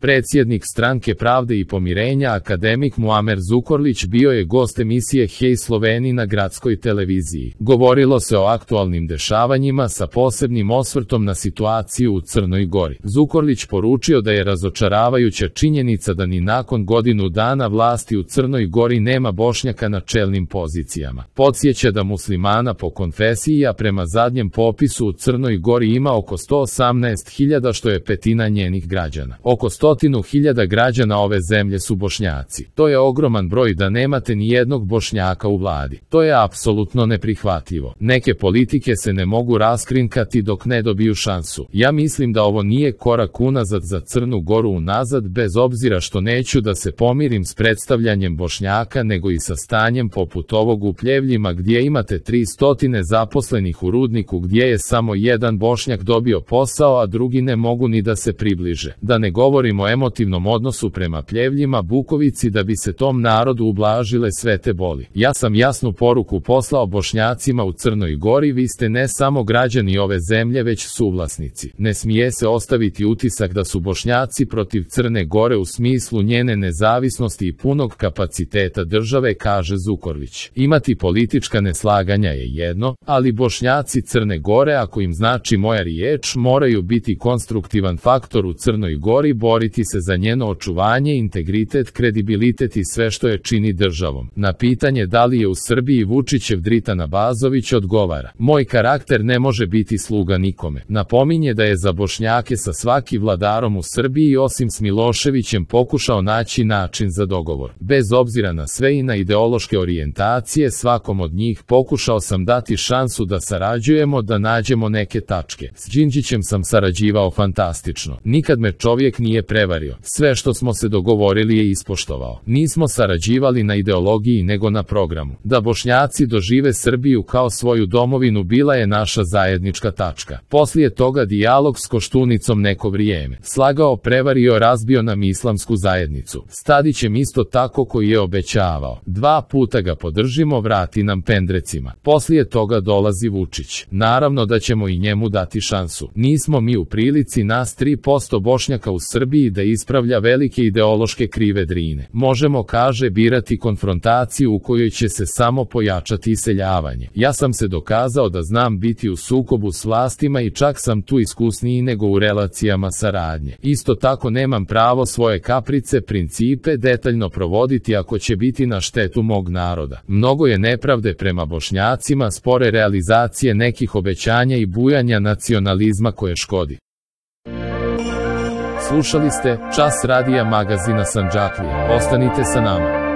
Predsjednik Stranke pravde i pomirenja akademik Muamer Zukorlić bio je gost emisije Hej Sloveni na gradskoj televiziji. Govorilo se o aktualnim dešavanjima sa posebnim osvrtom na situaciju u Crnoj Gori. Zukorlić poručio da je razočaravajuća činjenica da ni nakon godinu dana vlasti u Crnoj Gori nema Bošnjaka na čelnim pozicijama. Podsjeća da muslimana po konfesiji, a prema zadnjem popisu u Crnoj Gori ima oko 118.000, što je petina njenih građana. Oko 100.000 građana ove zemlje su Bošnjaci. To je ogroman broj da nemate ni jednog Bošnjaka u vladi. To je apsolutno neprihvatljivo. Neke politike se ne mogu raskrinkati dok ne dobiju šansu. Ja mislim da ovo nije korak unazad za Crnu Goru unazad, bez obzira što neću da se pomirim s predstavljanjem Bošnjaka, nego i sa stanjem poput ovog u Pljevljima gdje imate 300 zaposlenih u rudniku gdje je samo jedan Bošnjak dobio posao, a drugi ne mogu ni da se približe. Da ne govorimo o emotivnom odnosu prema Pljevljima, Bukovici, da bi se tom narodu ublažile sve te boli. Ja sam jasnu poruku poslao Bošnjacima u Crnoj Gori: vi ste ne samo građani ove zemlje, već suvlasnici. Ne smije se ostaviti utisak da su Bošnjaci protiv Crne Gore u smislu njene nezavisnosti i punog kapaciteta države, kaže Zukorlić. Imati politička neslaganja je jedno, ali Bošnjaci Crne Gore, ako im znači moja riječ, moraju biti konstruktivan faktor u Crnoj Gori, boriti se za njeno očuvanje, integritet, kredibilitet i sve što je čini državom. Na pitanje da li je u Srbiji Vučićev Dritan Abazović odgovara: moj karakter ne može biti sluga nikome. Napominje da je za Bošnjake sa svaki vladarom u Srbiji osim s Miloševićem pokušao naći način za dogovor. Bez obzira na sve i na ideološke orijentacije, svakom od njih pokušao sam dati šansu da sarađujemo, da nađemo neke tačke. S Đinđićem sam sarađivao fantastično. Nikad me čovjek nije prevario. Sve što smo se dogovorili je ispoštovao. Nismo sarađivali na ideologiji nego na programu. Da Bošnjaci dožive Srbiju kao svoju domovinu bila je naša zajednička tačka. Poslije toga dijalog s Koštunicom neko vrijeme. Slagao, prevario, razbio nam islamsku zajednicu. S Tadićem isto tako, koji je obećavao. 2 puta ga podržimo, vrati nam pendrecima. Poslije toga dolazi Vučić. Naravno da ćemo i njemu dati šansu. Nismo mi u prilici, nas 3% Bošnjaka u Srbiji, da ispravlja velike ideološke krive Drine. Možemo, kaže, birati konfrontaciju u kojoj će se samo pojačati iseljavanje. Ja sam se dokazao da znam biti u sukobu s vlastima i čak sam tu iskusniji nego u relacijama saradnje. Isto tako nemam pravo svoje kaprice, principe detaljno provoditi ako će biti na štetu mog naroda. Mnogo je nepravde prema Bošnjacima, spore realizacije nekih obećanja i bujanja nacionalizma koje škodi. Slušali ste Čas radija magazina Sandžaklija. Ostanite sa nama.